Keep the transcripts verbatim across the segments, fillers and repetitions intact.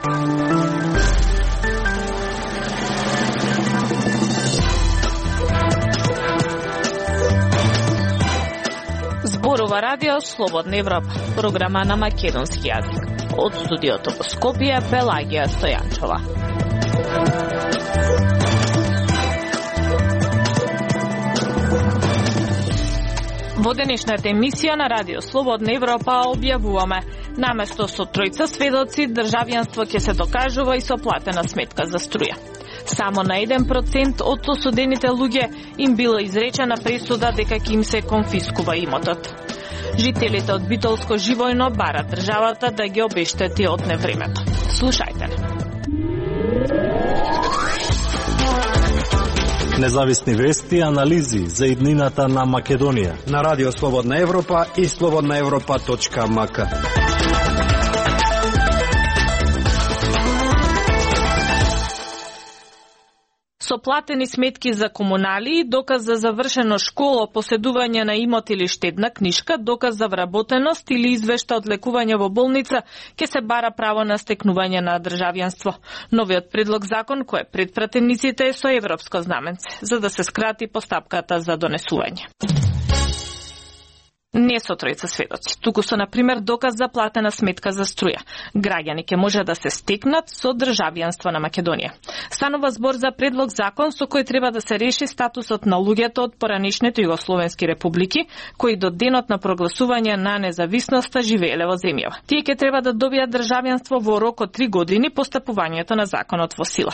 Зборува радио Слободна Европа, програма на македонски јазик. Од студиото во Скопје, Пелагија Стојанчова. Во денешната емисија на Радио Слободна Европа објавуваме: наместо со тројца сведоци, државјанство ќе се докажува и со платена сметка за струја. Само на еден процент од осудените луѓе им била изречена пресуда дека ќе им се конфискува имотот. Жителите од Битолско Живојно барат државата да ги обештети од невремето. Слушајте не. Независни вести и анализи за иднината на Македонија на Радио Слободна Европа и слободна европа точка м к. Со платени сметки за комунали, доказ за завршено школа, поседување на имот или штедна книшка, доказ за вработеност или извешта од лекување во болница, ќе се бара право на стекнување на државјанство. Новиот предлог закон кој е пред пратениците е со европско знаменце, за да се скрати постапката за донесување. Не со тројца сведоци, туку со, например, доказ за платена сметка за струја. Граѓани ќе може да се стекнат со државјанство на Македонија. Станува збор за предлог закон со кој треба да се реши статусот на луѓето од поранешните југословенски републики, кои до денот на прогласување на независноста живееле во земјава. Тие ќе треба да добијат државјанство во рок од три години по стапувањето на законот во сила.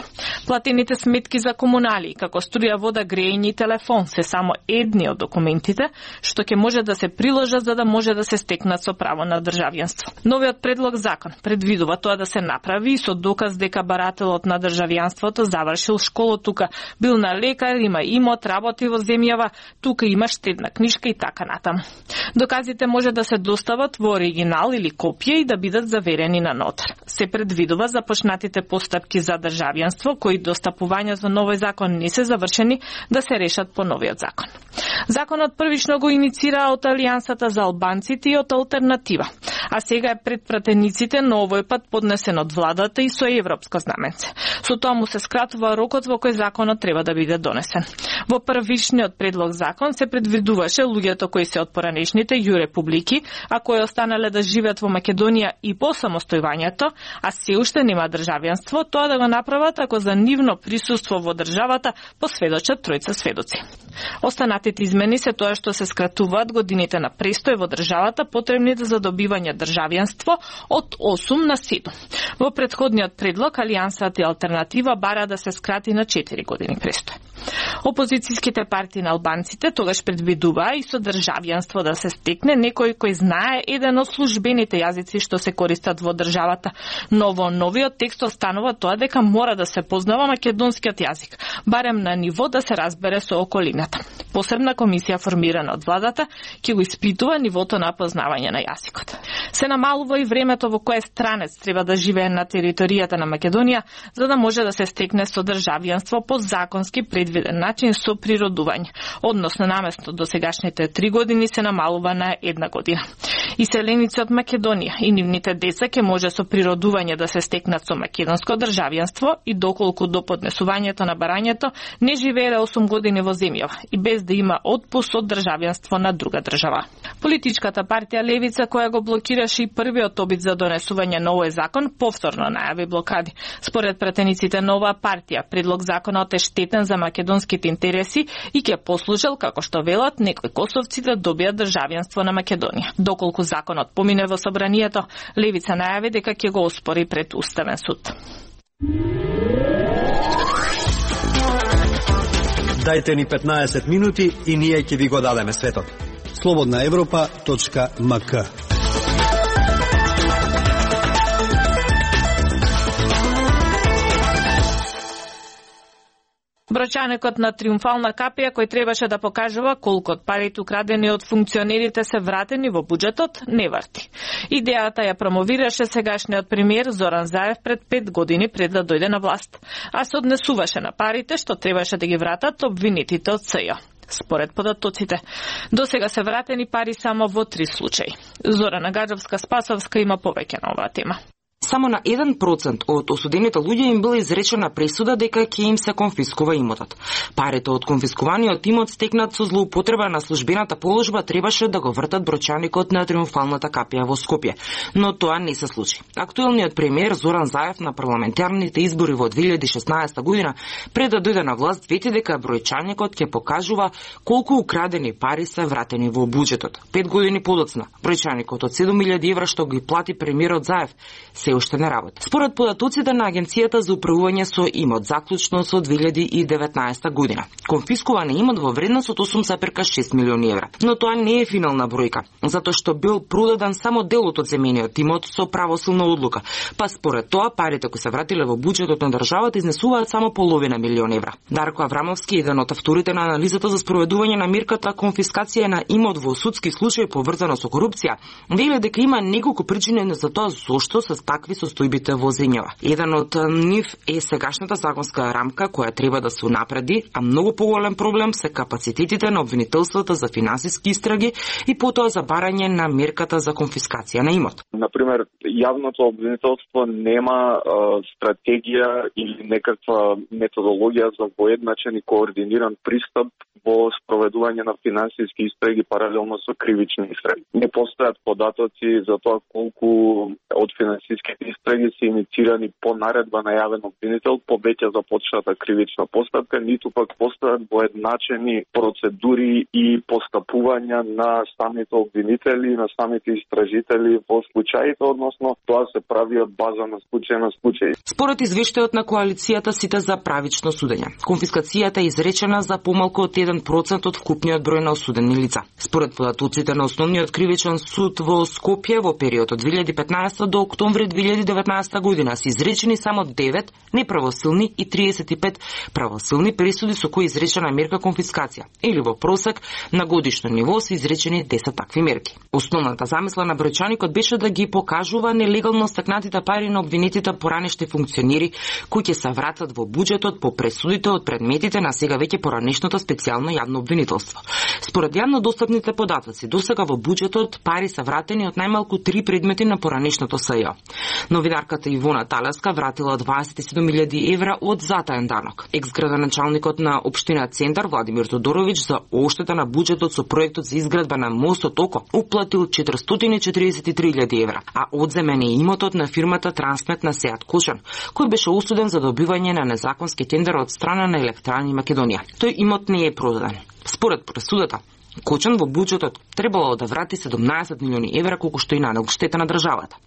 Платените сметки за комунали, како струја, вода, грејење и телефон, се само едни од документите што ќе може да се приложа за да може да се стекнат со право на државјанство. Новиот предлог закон предвидува тоа да се направи со доказ дека барателот на државјанството завршил школа тука, бил на лекар, има имот, работи во земјава, тука има штедна книшка и така натаму. Доказите може да се достават во оригинал или копија и да бидат заверени на нотар. Се предвидува започнатите постапки за државјанство кои до стапување за новој закон не се завршени да се решат по новиот закон. Законот првично го иницира од Алијансата за албанците и од Алтернатива, а сега е пред пратениците, но овој пат поднесен од владата и со европско знаменце. Со тоа му се скратува рокот во кој законот треба да биде донесен. Во првичниот предлог закон се предвидуваше луѓето кои се од поранешните ју републики, а кои останале да живеат во Македонија и по самостојувањето, а се уште нема државјанство, тоа да го направат ако за нивно присуство во државата посведочат тројца сведоци. Останатите измени се тоа што се скратуваат годините на престој во државата потребните за добивање државјанство од осум на седум. Во претходниот предлог Алијансата и Алтернатива бара да се скрати на четири години престој. Опозицијските партии на албанците тогаш предвидуваа и со државјанство да се стекне некој кој знае еден од службените јазици што се користат во државата, но во новиот текст останува тоа дека мора да се познава македонскиот јазик, барем на ниво да се разбере со околината. Посебна комисија формирана од владата ќе го испитува нивото на познавање на јазикот. Се намалува и времето во кое странец треба да живее на територијата на Македонија за да може да се стекне со државјанство по законски предвиден начин со природување, односно наместо до сегашните три години се намалува на една година. Иселеници од Македонија и нивните деца ќе може со природување да се стекнат со македонско државјанство и доколку до поднесувањето на барањето не живееле осум години во земјава и без да има отпуск од државјанство на друга држава. Политичката партија Левица, која го блокираше и првиот обид за донесување на овој закон, повторно најави блокади. Според пратениците на оваа партија, предлог законот е штетен за македонските интереси и ќе послужел, како што велат, некои косовци да добијат државјанство на Македонија. Доколку законот помине во собранието, Левица најави дека ќе го оспори пред Уставен суд. Дајте ни петнаесет минути и ние ќе ви го дадеме светот. слободна европа точка м к. Брочанекот на триумфална капија кој требаше да покажува колку од парите украдени од функционерите се вратени во буџетот, не врти. Идејата ја промовираше сегашниот премиер Зоран Заев пред пет години пред да дојде на власт, а се однесуваше на парите што требаше да ги вратат обвинетите од С Ј О. Според податоците, до сега се вратени пари само во три случаи. Зорана Гаджовска-Спасовска има повеќе на оваа тема. Само на еден процент од осудените луѓе им била изречена пресуда дека ќе им се конфискува имотот. Парите од конфискуваниот имот стекнат со злоупотреба на службената положба требаше да го вртат брочаникот на Триумфалната капија во Скопје, но тоа не се случи. Актуелниот премиер Зоран Заев на парламентарните избори во две илјади и шеснаесета година пред да дојде на власт вети дека бројчаникот ќе покажува колку украдени пари се вратени во буџетот. Пет години подоцна, бројчаникот од седум илјади евра што ги плати премиерот Заев се уште не работи. Според податоците на Агенцијата за управување со имот заклучно со две илјади и деветнаесета година, конфискуван е имот во вредност од осум цела шест милиони евра. Но тоа не е финална бројка, затоа што бил продаден само делот од земениот имот со правосилна одлука, па според тоа парите кои се вратиле во буџетот на државата изнесуваат само половина милион евра. Дарко Аврамовски, еден од авторите на анализата за спроведување на мерката конфискација на имот во судски случаи поврзано со корупција, вели дека има неколку причини за тоа зошто се такви состојбите во земјава. Еден од нив е сегашната законска рамка која треба да се унапреди, а многу поголем проблем се капацитетите на обвинителствата за финансиски истраги и потоа за барање на мерката за конфискација на имот. Например, јавното обвинителство нема а, стратегија или некаква методологија за воедначен и координиран пристап во спроведување на финансиски истраги паралелно со кривични истраги. Не постојат податоци за тоа колку од финансиските истраги се инициирани по наредба на јавен обвинител по веќе започната кривична постапка, ниту пак постојат воедначени процедури и постапувања на самите обвинители, на самите истражители во случаите, односно тоа се прави од база на случај на случај. Според извештајот на коалицијата Сите за правично судење, конфискацијата е изречена за помалку од еден процент од вкупниот број на осудени лица. Според податоците на Основниот кривичен суд во Скопје во период од две илјади и петнаесета до октомври две илјади и деветнаесета година се изречени само девет неправосилни и триесет и пет правосилни пресуди со кои изречена мерка конфискација, или во просек на годишно ниво се изречени десет такви мерки. Основната замисла на бројчаникот беше да ги покажува нелегално стекнатите пари на обвинетите поранешни функционери кои ќе се вратат во буџетот по пресудите од предметите на сега веќе поранешното специјално јавно обвинителство. Според јавно достапните податоци, досега во буџетот пари се вратени од најмалку три предмети на поранешното СЈ. Новинарката Ивона Талевска вратила дваесет и седум илјади евра од затаен данок. Екс-градоначалникот на општина Центар Владимир Тодоровиќ за оштета на буџетот со проектот за изградба на мостот Око уплатил четиристотини и четириесет и три илјади евра, а одземен е имотот на фирмата Трансмет на Сеат Кошан, кој беше осуден за добивање на незаконски тендер од страна на Електрани Македонија. Тој имот не е продаден. Според пресудата, Кочан во буџетот требало да врати седумнаесет милиони евра колку што и нанел штета на државата.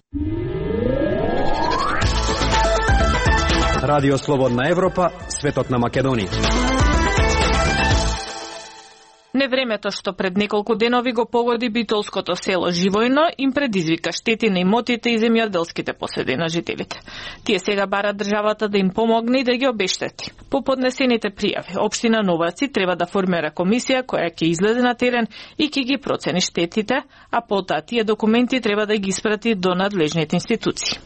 Радио Слободна Европа, светот на Македонија. Невремето што пред неколку денови го погоди битолското село Живојно им предизвика штети на имотите и земјоделските поседи на жителите. Тие сега барат државата да им помогне и да ги обештети. По поднесените пријави, општина Новаци треба да формира комисија која ќе излезе на терен и ќе ги процени штетите, а потоа тие документи треба да ги испрати до надлежните институции.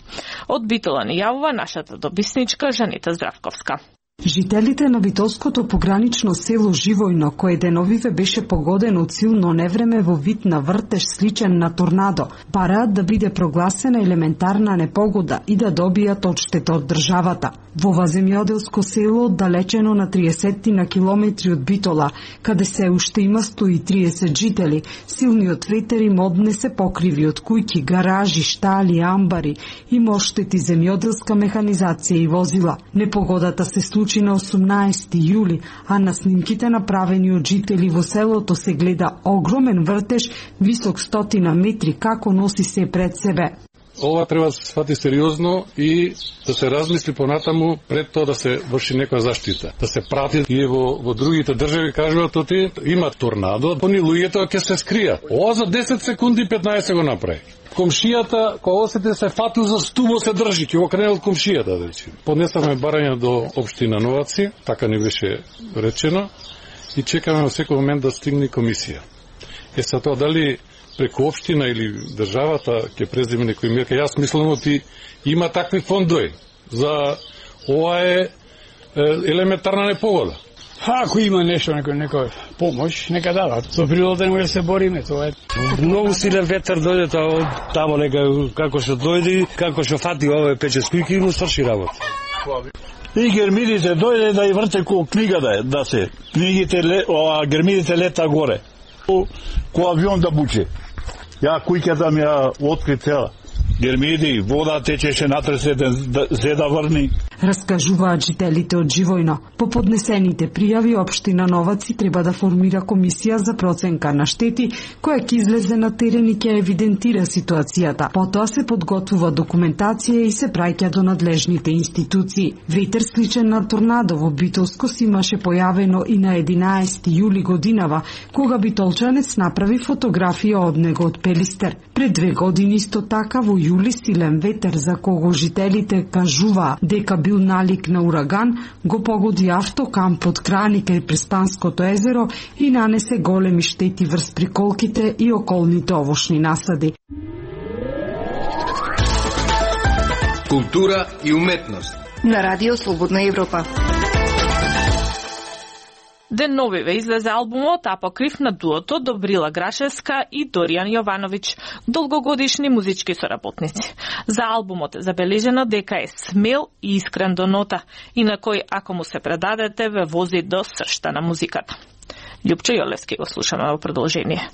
Од Битола ни јавува нашата добисничка Жанета Здравковска. Жителите на битолското погранично село Живојно, кое деновиве беше погодено од силно невреме во вид на вртеж сличен на торнадо, бараат да биде прогласена елементарна непогода и да добијат одштета од државата. Во ова земјоделско село, далечено на триесет на километри од Битола, каде се уште има сто и триесет жители, силниот ветер им однесе покриви од куќи, гаражи, штали, амбари, има оштети земјоделска механизација и возила. Непогодата се случи на осумнаесети јули, а на снимките направени од жители во селото се гледа огромен вртеж, висок стотина метри, како носи се пред себе. Ова треба да се свати сериозно и да се размисли понатаму пред тоа да се врши некоја заштита. Да се прати и во, во другите држави кажуваат оти има торнадо, они луѓето ќе се скријат. Ова за десет секунди петнаесет го направи. Комшијата, кога осети се фатил за стубо се држи, ќе го кренел комшијата, да речем. Поднесаме барање до општина Новаци, така ни беше речено, и чекаме во секој момент да стигне комисија. Е са тоа дали преку општина или државата ќе преземе некој мерка, јас мислам оти има такви фондови за ова е елементарна непогода. Ако има нешто, некој, некој помош, нека дадат. Со природата не може да се бориме, тоа е. Многу силен ветер дојде тамо нека како што дојде, како што фати овој пече скујки и му сврши работа. И гермидите дојде да и врте ко книга да, да се. Книгите, а гермидите лета горе. Ко авион да буче. Ја кујката ми ја откри цела. Гермиди, вода течеше натресе да се да врни. Раскажуваат жителите од Живојно. По поднесените пријави, општина Новаци треба да формира комисија за проценка на штети, која ќе излезе на терен и ќе евидентира ситуацијата. Потоа се подготвува документација и се праќа до надлежните институции. Ветер сличен на торнадо во Битолско се имаше појавено и на единаесети јули годинава, кога битолчанец направи фотографија од него од Пелистер. Пред две години исто така во јули силен ветер за кого жителите кажуваа дека бил налик на ураган, го погоди автокамп од Крани кај Преспанското езеро и нанесе големи штети врз приколките и околните овошни насади. Култура и уметност на Радио Слободна Европа. Деновиве излезе албумот Апокриф на дуото Добрила Грашевска и Доријан Јовановиќ, долгогодишни музички соработници. За албумот е забележено дека е смел и искрен до нота, и на кој, ако му се предадете, ве вози до сршта на музиката. Љупчо Јолевски го слушаме во продолжение.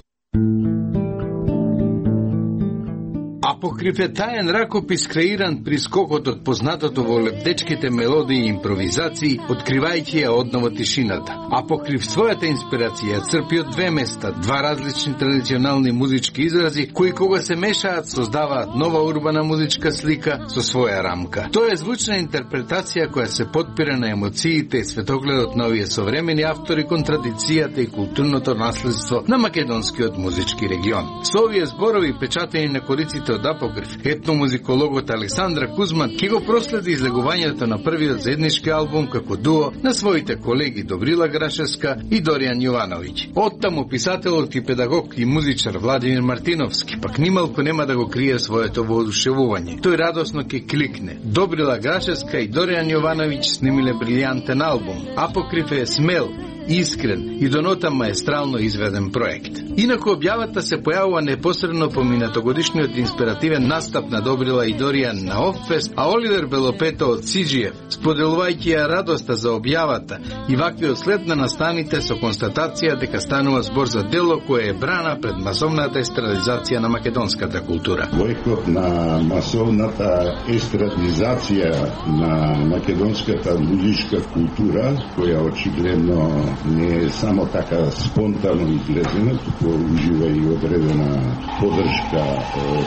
Апокриф е таен ракопис креиран при скокот од познатото во лептечките мелодии и импровизации, откривајќи ја одново тишината. Апокриф својата инспирација црпи од две места, два различни традиционални музички изрази, кои кога се мешаат создаваат нова урбана музичка слика со своја рамка. Тоа е звучна интерпретација која се подпира на емоциите и светогледот на овие современи автори кон традицијата и културното наследство на македонскиот музички регион. Со овие зборови печатени на кориците од Апокриф, етномузикологот Александра Кузман ќе го проследи излегувањето на првиот заеднички албум како дуо на своите колеги Добрила Грашевска и Доријан Јовановиќ. Оттаму писателот и педагог и музичар Владимир Мартиновски пак нималку нема да го крие своето воодушевување. Тој радосно ќе кликне. Добрила Грашевска и Доријан Јовановиќ снимиле брилијантен албум. Апокриф е смел, искрен и до нота маестрално изведен проект. Инаку објавата се појавува непосредно по минатогодишниот инспиративен настап на Добрила и Доријан на Оффест, а Оливер Белопето од Сиџиев, споделувајќи ја радоста за објавата и ваквиот след на настаните со констатација дека станува збор за дело кое е брана пред масовната естрадизација на македонската култура. Војкот на масовната естрадизација на македонската музичка култура, која очигледно не е само така спонтано излезена, туку ужива и одредена поддршка од,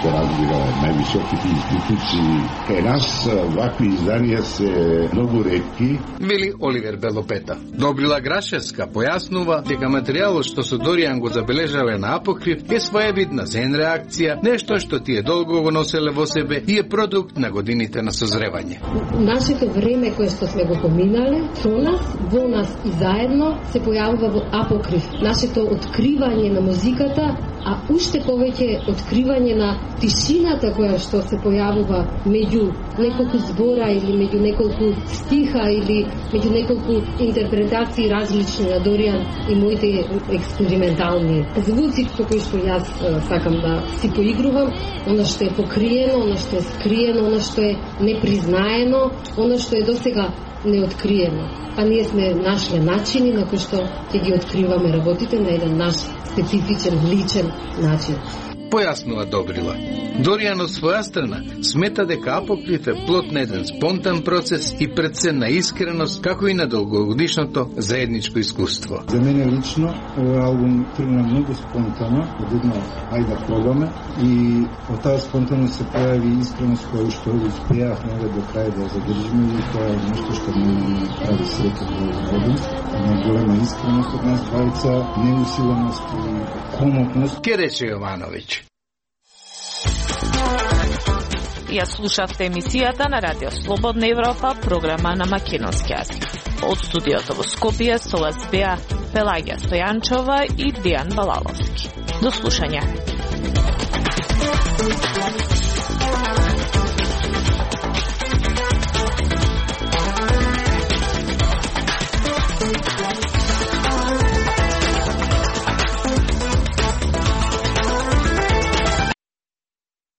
се разбира, највисоките институции. Кај нас вакви изданија се многу ретки. Вели Оливер Белопета. Добрила Грашевска појаснува дека материјалот што со Доријан го забележале на Апокриф е своевидна зен реакција, нешто што тие долго го носеле во себе и е продукт на годините на созревање. Нашето време кое што сме го поминале, со нас, во нас и заедно се појавува во Апокриф. Нашето откривање на музиката, а уште повеќе откривање на тишината која што се појавува меѓу неколку збора или меѓу неколку стиха или меѓу неколку интерпретации различни на Доријан и моите експериментални звуци со кои што јас сакам да си поигрувам, она што е покриено, она што е скриено, она што е непризнаено, она што е досега неоткриено. Па ние сме нашле начини на кои што ќе ги откриваме работите на еден наш специфичен, личен начин. Појаснува Добрила. Доријан од своја страна смета дека Апокриф е плод на еден спонтан процес и пред се на искреност, како и на долгогодишното заедничко искуство. За мене лично овој албум тргна многу спонтано, од едно ајде да пробаме, и од таа спонтаност се појави искреност која што успеавме до крај да задржиме, и тоа е нешто што мене прави среќа во овој албум. На голема искреност од нас двајца, неусиленост и комотност. Ке рече Јовановиќ. Ја слушавте емисијата на Радио Слободна Европа, програма на македонски јазик. Од студиото во Скопје со вас беа Пелагија Стојанчова и Дијан Балаловски. До слушање.